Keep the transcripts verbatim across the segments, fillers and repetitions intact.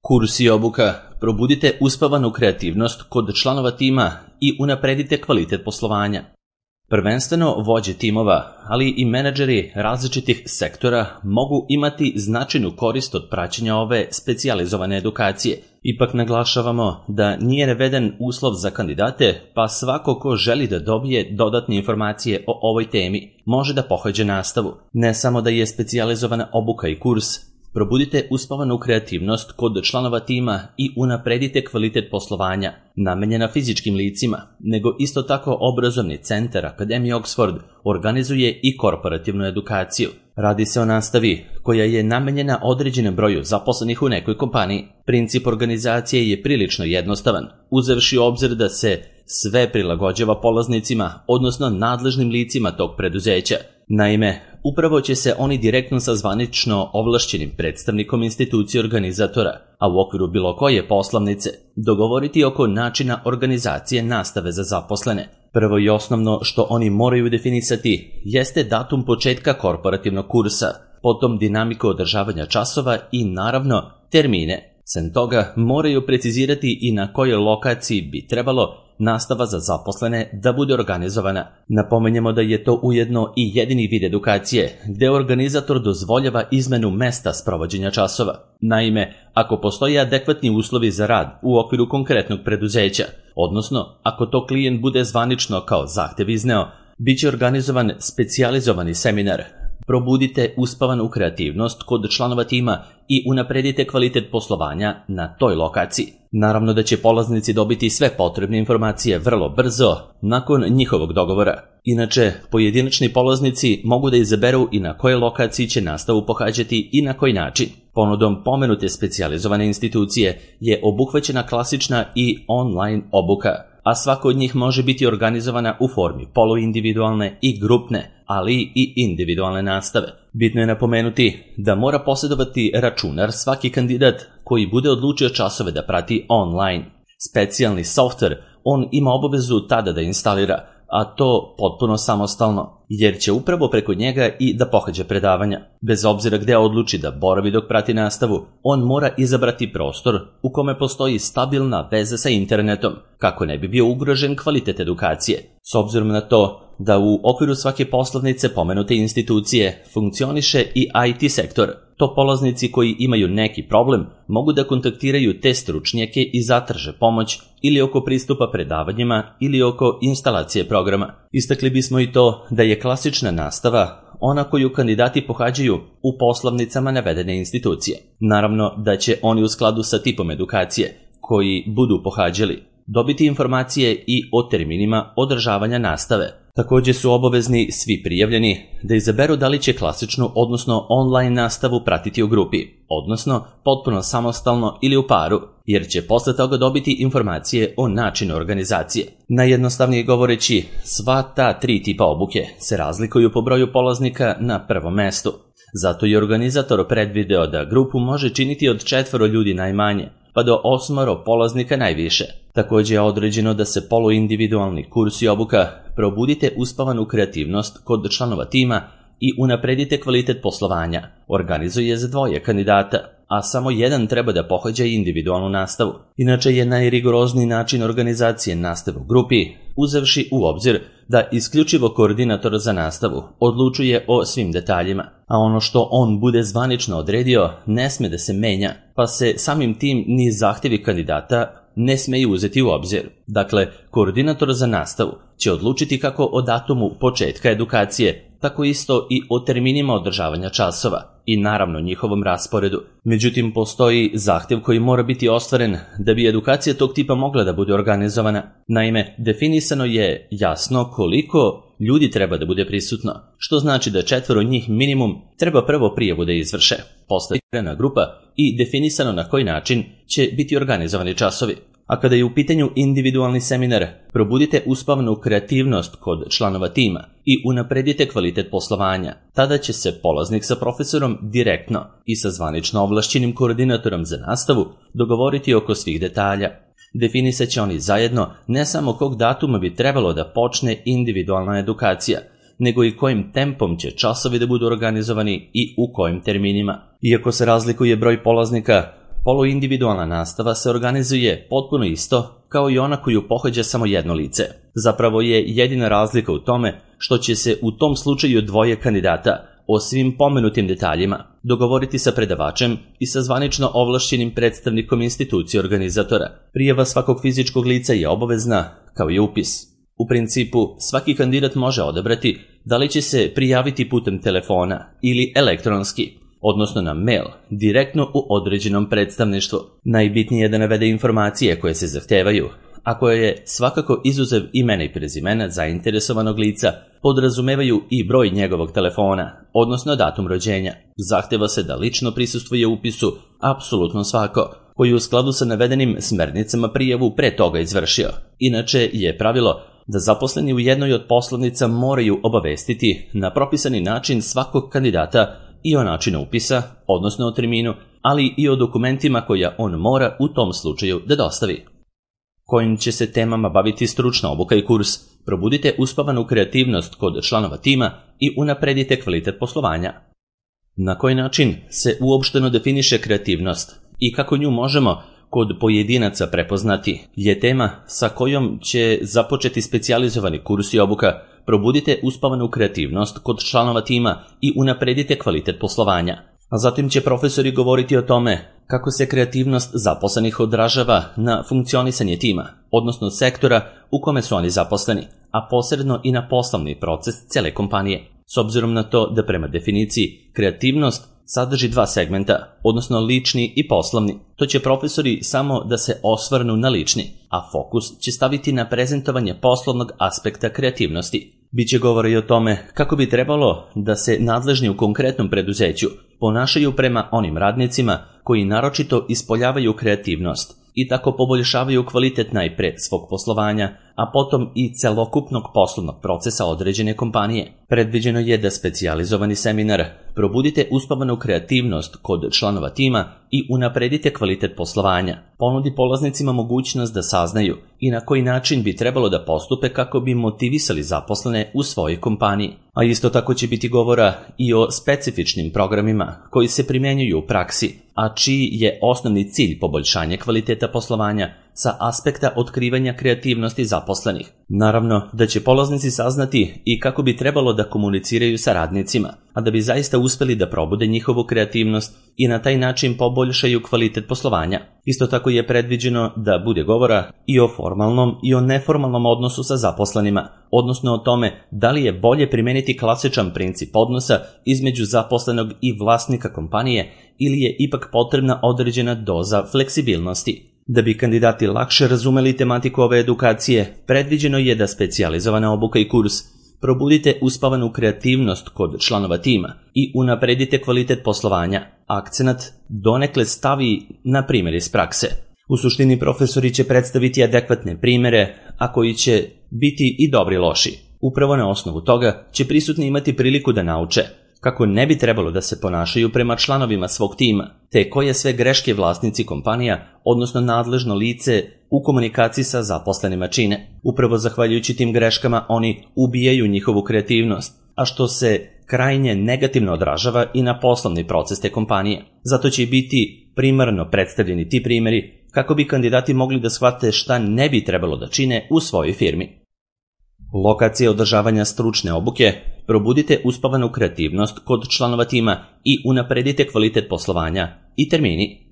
Kurs i obuka. Probudite uspavanu kreativnost kod članova tima i unapredite kvalitet poslovanja. Prvenstveno vođe timova, ali i menadžeri različitih sektora mogu imati značajnu korist od praćenja ove specijalizovane edukacije. Ipak naglašavamo da nije naveden uslov za kandidate, pa svako ko želi da dobije dodatne informacije o ovoj temi može da pohađa nastavu. Ne samo da je specijalizovana obuka i kurs, probudite uspavanu kreativnost kod članova tima i unapredite kvalitet poslovanja, namenjena fizičkim licima, nego isto tako obrazovni centar Akademije Oxford organizuje i korporativnu edukaciju. Radi se o nastavi koja je namenjena određenom broju zaposlenih u nekoj kompaniji. Princip organizacije je prilično jednostavan, uzevši u obzir da se sve prilagođava polaznicima, odnosno nadležnim licima tog preduzeća. Naime, upravo će se oni direktno sa zvanično ovlašćenim predstavnikom institucije organizatora, a u okviru bilo koje poslovnice, dogovoriti oko načina organizacije nastave za zaposlene. Prvo i osnovno što oni moraju definisati jeste datum početka korporativnog kursa, potom dinamiku održavanja časova i naravno termine. Sem toga moraju precizirati i na kojoj lokaciji bi trebalo nastava za zaposlene da bude organizovana. Napomenjemo da je to ujedno i jedini vid edukacije gde organizator dozvoljava izmenu mesta sprovođenja časova. Naime, ako postoje adekvatni uslovi za rad u okviru konkretnog preduzeća, odnosno ako to klijent bude zvanično kao zahtev izneo, bit će organizovan specijalizovani seminar. Probudite uspavanu kreativnost kod članova tima i unapredite kvalitet poslovanja na toj lokaciji. Naravno da će polaznici dobiti sve potrebne informacije vrlo brzo nakon njihovog dogovora. Inače, pojedinačni polaznici mogu da izaberu i na kojoj lokaciji će nastavu pohađati i na koji način. Ponudom pomenute specijalizovane institucije je obuhvaćena klasična i online obuka, a svaka od njih može biti organizovana u formi poluindividualne i grupne, ali i individualne nastave. Bitno je napomenuti da mora posjedovati računar svaki kandidat koji bude odlučio časove da prati online. Specijalni softver on ima obavezu tada da instalira, a to potpuno samostalno, jer će upravo preko njega i da pohađa predavanja. Bez obzira gde odluči da boravi dok prati nastavu, on mora izabrati prostor u kome postoji stabilna veza sa internetom, kako ne bi bio ugrožen kvalitet edukacije. S obzirom na to da u okviru svake poslovnice pomenute institucije funkcioniše i I T sektor, to polaznici koji imaju neki problem mogu da kontaktiraju te stručnjake i zatraže pomoć ili oko pristupa predavanjima ili oko instalacije programa. Istakli bismo i to da je klasična nastava ona koju kandidati pohađaju u poslovnicama navedene institucije. Naravno da će oni u skladu sa tipom edukacije koji budu pohađali dobiti informacije i o terminima održavanja nastave. Također su obavezni svi prijavljeni da izaberu da li će klasičnu, odnosno online nastavu pratiti u grupi, odnosno potpuno samostalno ili u paru, jer će posle toga dobiti informacije o načinu organizacije. Najjednostavnije govoreći, sva ta tri tipa obuke se razlikuju po broju polaznika na prvom mestu. Zato je organizator predvideo da grupu može činiti od četvoro ljudi najmanje, pa do osmoro polaznika najviše. Također je određeno da se poluindividualni kurs i obuka probudite uspavanu kreativnost kod članova tima i unapredite kvalitet poslovanja organizuje za dvoje kandidata, a samo jedan treba da pohađa individualnu nastavu. Inače je najrigorozniji način organizacije nastave u grupi, uzevši u obzir da isključivo koordinator za nastavu odlučuje o svim detaljima, a ono što on bude zvanično odredio ne sme da se menja, pa se samim tim ni zahtevi kandidata ne smeju uzeti u obzir. Dakle, koordinator za nastavu će odlučiti kako o datumu početka edukacije, tako isto i o terminima održavanja časova i naravno njihovom rasporedu. Međutim, postoji zahtev koji mora biti ostvaren da bi edukacija tog tipa mogla da bude organizovana. Naime, definisano je jasno koliko ljudi treba da bude prisutno, što znači da četvoro njih minimum treba prvo prijavu da izvrše. Postoji igrana grupa i definisano na koji način će biti organizovani časovi. A kada je u pitanju individualni seminar, probudite uspavnu kreativnost kod članova tima i unapredite kvalitet poslovanja. Tada će se polaznik sa profesorom direktno i sa zvanično ovlašćenim koordinatorom za nastavu dogovoriti oko svih detalja. Definisat će oni zajedno ne samo kog datuma bi trebalo da počne individualna edukacija, nego i kojim tempom će časovi da budu organizovani i u kojim terminima. Iako se razlikuje broj polaznika, poluindividualna nastava se organizuje potpuno isto kao i ona koju pohađa samo jedno lice. Zapravo je jedina razlika u tome što će se u tom slučaju dvoje kandidata o svim pomenutim detaljima dogovoriti sa predavačem i sa zvanično ovlašćenim predstavnikom institucije organizatora. Prijava svakog fizičkog lica je obavezna, kao i upis. U principu, svaki kandidat može odabrati da li će se prijaviti putem telefona ili elektronski, odnosno na mail, direktno u određenom predstavništvu. Najbitnije je da navede informacije koje se zahtevaju, a koje je svakako izuzev imena i prezimena zainteresovanog lica, podrazumevaju i broj njegovog telefona, odnosno datum rođenja. Zahteva se da lično prisustvuje upisu apsolutno svako, koji u skladu sa navedenim smernicama prijavu pre toga izvršio. Inače je pravilo da zaposleni u jednoj od poslovnica moraju obavestiti na propisani način svakog kandidata i o načinu upisa, odnosno o terminu, ali i o dokumentima koja on mora u tom slučaju da dostavi. Kojim će se temama baviti stručna obuka i kurs? Probudite uspavanu kreativnost kod članova tima i unapredite kvalitet poslovanja. Na koji način se uopšteno definiše kreativnost i kako nju možemo kod pojedinaca prepoznati je tema sa kojom će započeti specijalizovani kurs i obuka. Probudite uspavanu kreativnost kod članova tima i unapredite kvalitet poslovanja. A zatim će profesori govoriti o tome kako se kreativnost zaposlenih odražava na funkcionisanje tima, odnosno sektora u kome su oni zaposleni, a posredno i na poslovni proces cele kompanije. S obzirom na to da prema definiciji kreativnost sadrži dva segmenta, odnosno lični i poslovni, to će profesori samo da se osvrnu na lični, a fokus će staviti na prezentovanje poslovnog aspekta kreativnosti. Biće govora i o tome kako bi trebalo da se nadležni u konkretnom preduzeću ponašaju prema onim radnicima koji naročito ispoljavaju kreativnost i tako poboljšavaju kvalitet najpre svog poslovanja, a potom i celokupnog poslovnog procesa određene kompanije. Predviđeno je da specijalizovani seminar Probudite uspavanu kreativnost kod članova tima i unapredite kvalitet poslovanja ponudi polaznicima mogućnost da saznaju i na koji način bi trebalo da postupe kako bi motivisali zaposlene u svojoj kompaniji. A isto tako će biti govora i o specifičnim programima koji se primjenjuju u praksi, a čiji je osnovni cilj poboljšanje kvaliteta poslovanja sa aspekta otkrivanja kreativnosti zaposlenih. Naravno da će polaznici saznati i kako bi trebalo da komuniciraju sa radnicima, a da bi zaista uspeli da probude njihovu kreativnost i na taj način poboljšaju kvalitet poslovanja. Isto tako je predviđeno da bude govora i o formalnom i o neformalnom odnosu sa zaposlenima, odnosno o tome da li je bolje primeniti klasičan princip odnosa između zaposlenog i vlasnika kompanije ili je ipak potrebna određena doza fleksibilnosti. Da bi kandidati lakše razumeli tematiku ove edukacije, predviđeno je da specijalizovana obuka i kurs Probudite uspavanu kreativnost kod članova tima i unapredite kvalitet poslovanja akcenat donekle stavi na primjer iz prakse. U suštini profesori će predstaviti adekvatne primere, a koji će biti i dobri i loši. Upravo na osnovu toga će prisutni imati priliku da nauče kako ne bi trebalo da se ponašaju prema članovima svog tima, te koje sve greške vlasnici kompanija, odnosno nadležno lice u komunikaciji sa zaposlenima čine. Upravo zahvaljujući tim greškama oni ubijaju njihovu kreativnost, a što se krajnje negativno odražava i na poslovni proces te kompanije. Zato će biti primarno predstavljeni ti primjeri kako bi kandidati mogli da shvate šta ne bi trebalo da čine u svojoj firmi. Lokacije održavanja stručne obuke Probudite uspavanu kreativnost kod članova tima i unapredite kvalitet poslovanja i termini.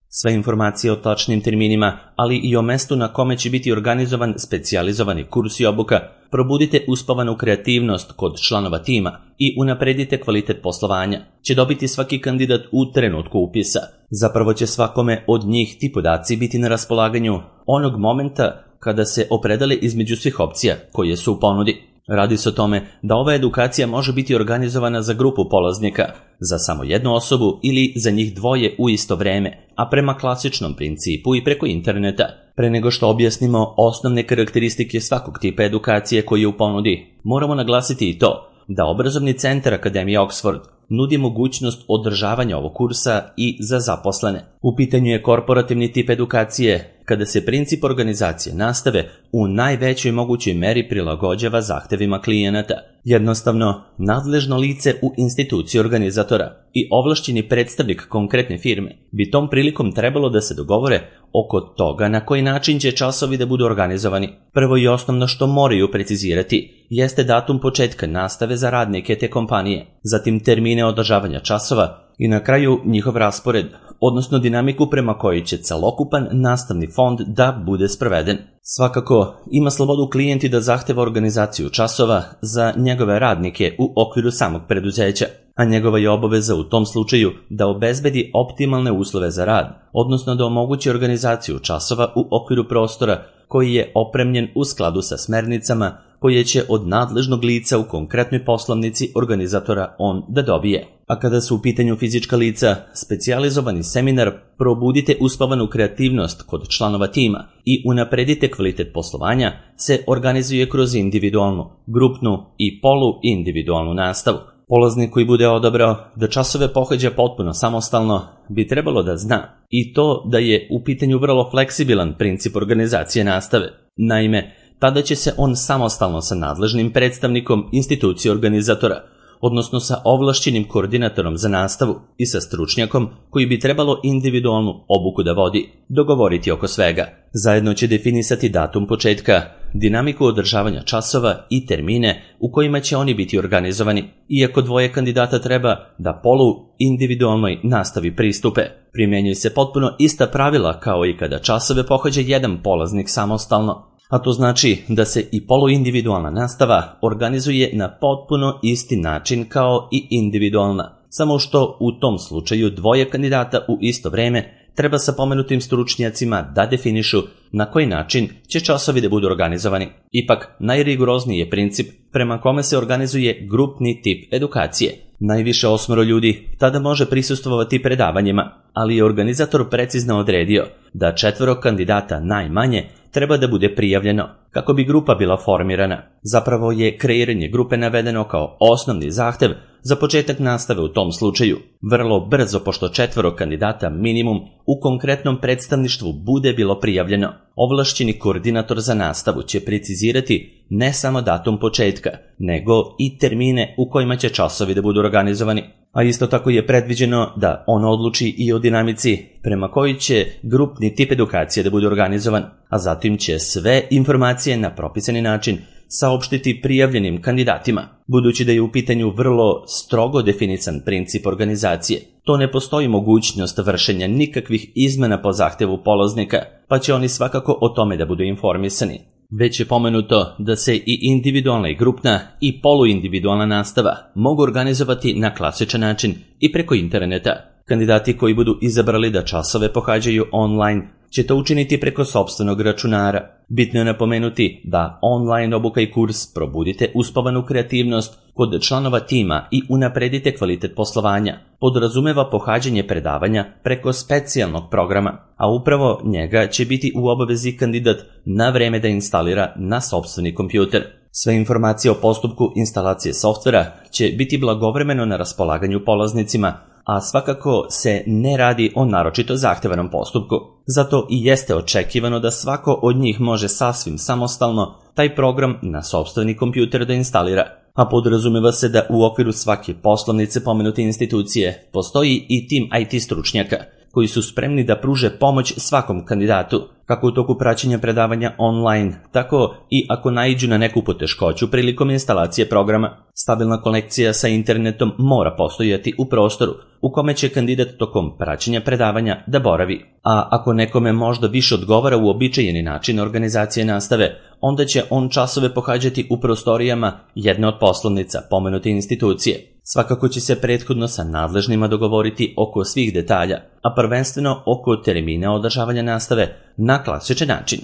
Sve informacije o tačnim terminima, ali i o mestu na kome će biti organizovan specijalizovani kurs i obuka Probudite uspavanu kreativnost kod članova tima i unapredite kvalitet poslovanja će dobiti svaki kandidat u trenutku upisa. Zapravo će svakome od njih ti podaci biti na raspolaganju onog momenta kada se opredele između svih opcija koje su u ponudi. Radi se o tome da ova edukacija može biti organizovana za grupu polaznika, za samo jednu osobu ili za njih dvoje u isto vreme, a prema klasičnom principu i preko interneta. Pre nego što objasnimo osnovne karakteristike svakog tipa edukacije koji je u ponudi, moramo naglasiti i to da obrazovni centar Akademije Oxford nudi mogućnost održavanja ovog kursa i za zaposlene. U pitanju je korporativni tip edukacije, kada se princip organizacije nastave u najvećoj mogućoj meri prilagođava zahtevima klijenata. Jednostavno, nadležno lice u instituciji organizatora i ovlašćeni predstavnik konkretne firme bi tom prilikom trebalo da se dogovore oko toga na koji način će časovi da budu organizovani. Prvo i osnovno što moraju precizirati jeste datum početka nastave za radnike te kompanije, zatim termine održavanja časova i na kraju njihov raspored, odnosno dinamiku prema kojoj će celokupan nastavni fond da bude sproveden. Svakako, ima slobodu klijenti da zahteva organizaciju časova za njegove radnike u okviru samog preduzeća, a njegova je obaveza u tom slučaju da obezbedi optimalne uslove za rad, odnosno da omogući organizaciju časova u okviru prostora koji je opremljen u skladu sa smernicama koje će od nadležnog lica u konkretnoj poslovnici organizatora on da dobije. A kada su u pitanju fizička lica, specijalizovani seminar Probudite uspavanu kreativnost kod članova tima i unapredite kvalitet poslovanja se organizuje kroz individualnu, grupnu i poluindividualnu nastavu. Polaznik koji bude odabrao da časove pohađa potpuno samostalno bi trebalo da zna i to da je u pitanju vrlo fleksibilan princip organizacije nastave. Naime, tada će se on samostalno sa nadležnim predstavnikom institucije organizatora, odnosno sa ovlašćenim koordinatorom za nastavu i sa stručnjakom koji bi trebalo individualnu obuku da vodi, dogovoriti oko svega. Zajedno će definisati datum početka, dinamiku održavanja časova i termine u kojima će oni biti organizovani, iako dvoje kandidata treba da polu individualnoj nastavi pristupe. Primjenjuju se potpuno ista pravila kao i kada časove pohađa jedan polaznik samostalno, a to znači da se i poluindividualna nastava organizuje na potpuno isti način kao i individualna, samo što u tom slučaju dvoje kandidata u isto vreme treba sa pomenutim stručnjacima da definišu na koji način će časovi da budu organizovani. Ipak, najrigorozniji je princip prema kome se organizuje grupni tip edukacije. Najviše osmoro ljudi tada može prisustvovati predavanjima, ali je organizator precizno odredio da četvoro kandidata najmanje treba da bude prijavljeno kako bi grupa bila formirana. Zapravo je kreiranje grupe navedeno kao osnovni zahtev za početak nastave u tom slučaju. Vrlo brzo, pošto četvoro kandidata minimum u konkretnom predstavništvu bude bilo prijavljeno, ovlašćeni koordinator za nastavu će precizirati ne samo datum početka, nego i termine u kojima će časovi da budu organizovani. A isto tako je predviđeno da on odluči i o dinamici prema kojoj će grupni tip edukacije da bude organizovan, a zatim će sve informacije na propisani način saopštiti prijavljenim kandidatima. Budući da je u pitanju vrlo strogo definisan princip organizacije, to ne postoji mogućnost vršenja nikakvih izmena po zahtevu polaznika, pa će oni svakako o tome da budu informisani. Već je pomenuto da se i individualna i grupna i poluindividualna nastava mogu organizovati na klasičan način i preko interneta. Kandidati koji budu izabrali da časove pohađaju online će to učiniti preko sopstvenog računara. Bitno je napomenuti da online obuka i kurs Probudite uspavanu kreativnost kod članova tima i unapredite kvalitet poslovanja podrazumeva pohađanje predavanja preko specijalnog programa, a upravo njega će biti u obavezi kandidat na vreme da instalira na sopstveni kompjuter. Sve informacije o postupku instalacije softvera će biti blagovremeno na raspolaganju polaznicima, a svakako se ne radi o naročito zahtevanom postupku. Zato i jeste očekivano da svako od njih može sasvim samostalno taj program na sopstveni kompjuter da instalira, a podrazumeva se da u okviru svake poslovnice pomenute institucije postoji i tim I T stručnjaka koji su spremni da pruže pomoć svakom kandidatu, kako u toku praćenja predavanja online, tako i ako naiđu na neku poteškoću prilikom instalacije programa. Stabilna konekcija sa internetom mora postojati u prostoru u kome će kandidat tokom praćenja predavanja da boravi. A ako nekome možda više odgovara uobičajeni način organizacije nastave, onda će on časove pohađati u prostorijama jedne od poslovnica pomenute institucije. Svakako će se prethodno sa nadležnima dogovoriti oko svih detalja, a prvenstveno oko termina održavanja nastave na klasičan način.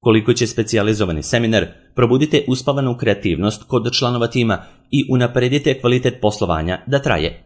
Koliko će specijalizovani seminar Probudite uspavanu kreativnost kod članova tima i unapredite kvalitet poslovanja da traje?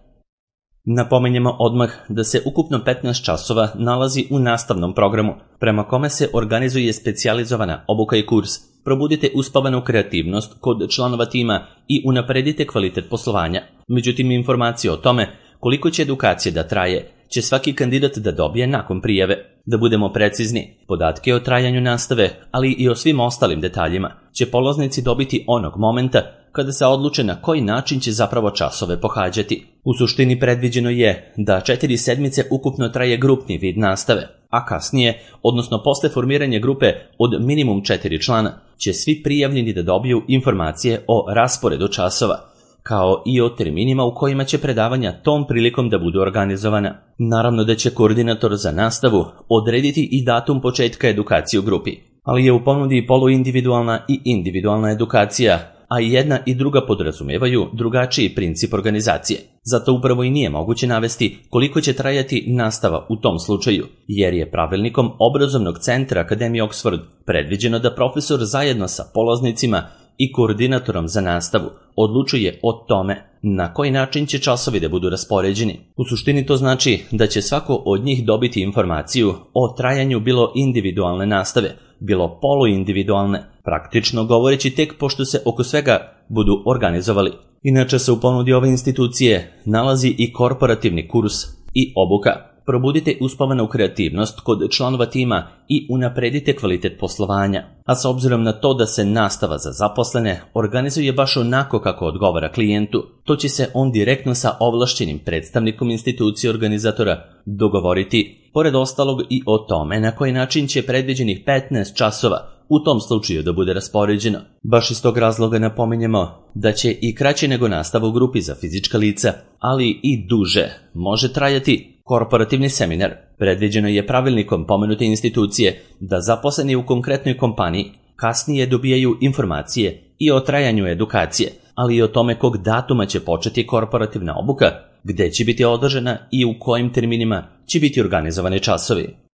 Napomenjemo odmah da se ukupno petnaest časova nalazi u nastavnom programu, prema kome se organizuje specijalizovana obuka i kurs Probudite uspavanu kreativnost kod članova tima i unapredite kvalitet poslovanja. Međutim, informacije o tome koliko će edukacije da traje će svaki kandidat da dobije nakon prijave. Da budemo precizni, podatke o trajanju nastave, ali i o svim ostalim detaljima, će polaznici dobiti onog momenta kada se odluče na koji način će zapravo časove pohađati. U suštini predviđeno je da četiri sedmice ukupno traje grupni vid nastave, a kasnije, odnosno posle formiranja grupe od minimum četiri člana, će svi prijavljeni da dobiju informacije o rasporedu časova, kao i o terminima u kojima će predavanja tom prilikom da budu organizovana. Naravno da će koordinator za nastavu odrediti i datum početka edukacije u grupi, ali je u ponudi poluindividualna i individualna edukacija, a i jedna i druga podrazumevaju drugačiji princip organizacije. Zato upravo i nije moguće navesti koliko će trajati nastava u tom slučaju, jer je pravilnikom obrazovnog centra Akademije Oxford predviđeno da profesor zajedno sa polaznicima i koordinatorom za nastavu odlučuje o tome na koji način će časovi da budu raspoređeni. U suštini to znači da će svako od njih dobiti informaciju o trajanju bilo individualne nastave, bilo poluindividualne, praktično govoreći tek pošto se oko svega budu organizovali. Inače se u ponudi ove institucije nalazi i korporativni kurs i obuka. Probudite uspavanu kreativnost kod članova tima i unapredite kvalitet poslovanja. A s obzirom na to da se nastava za zaposlene organizuje baš onako kako odgovara klijentu, to će se on direktno sa ovlašćenim predstavnikom institucije organizatora dogovoriti, pored ostalog i o tome na koji način će predviđenih petnaest časova u tom slučaju da bude raspoređeno. Baš iz tog razloga napominjemo da će i kraće nego nastava u grupi za fizička lica, ali i duže može trajati korporativni seminar. Predviđeno je pravilnikom pomenute institucije da zaposleni u konkretnoj kompaniji kasnije dobijaju informacije i o trajanju edukacije, ali i o tome kog datuma će početi korporativna obuka, gde će biti održana i u kojim terminima će biti organizovani časovi.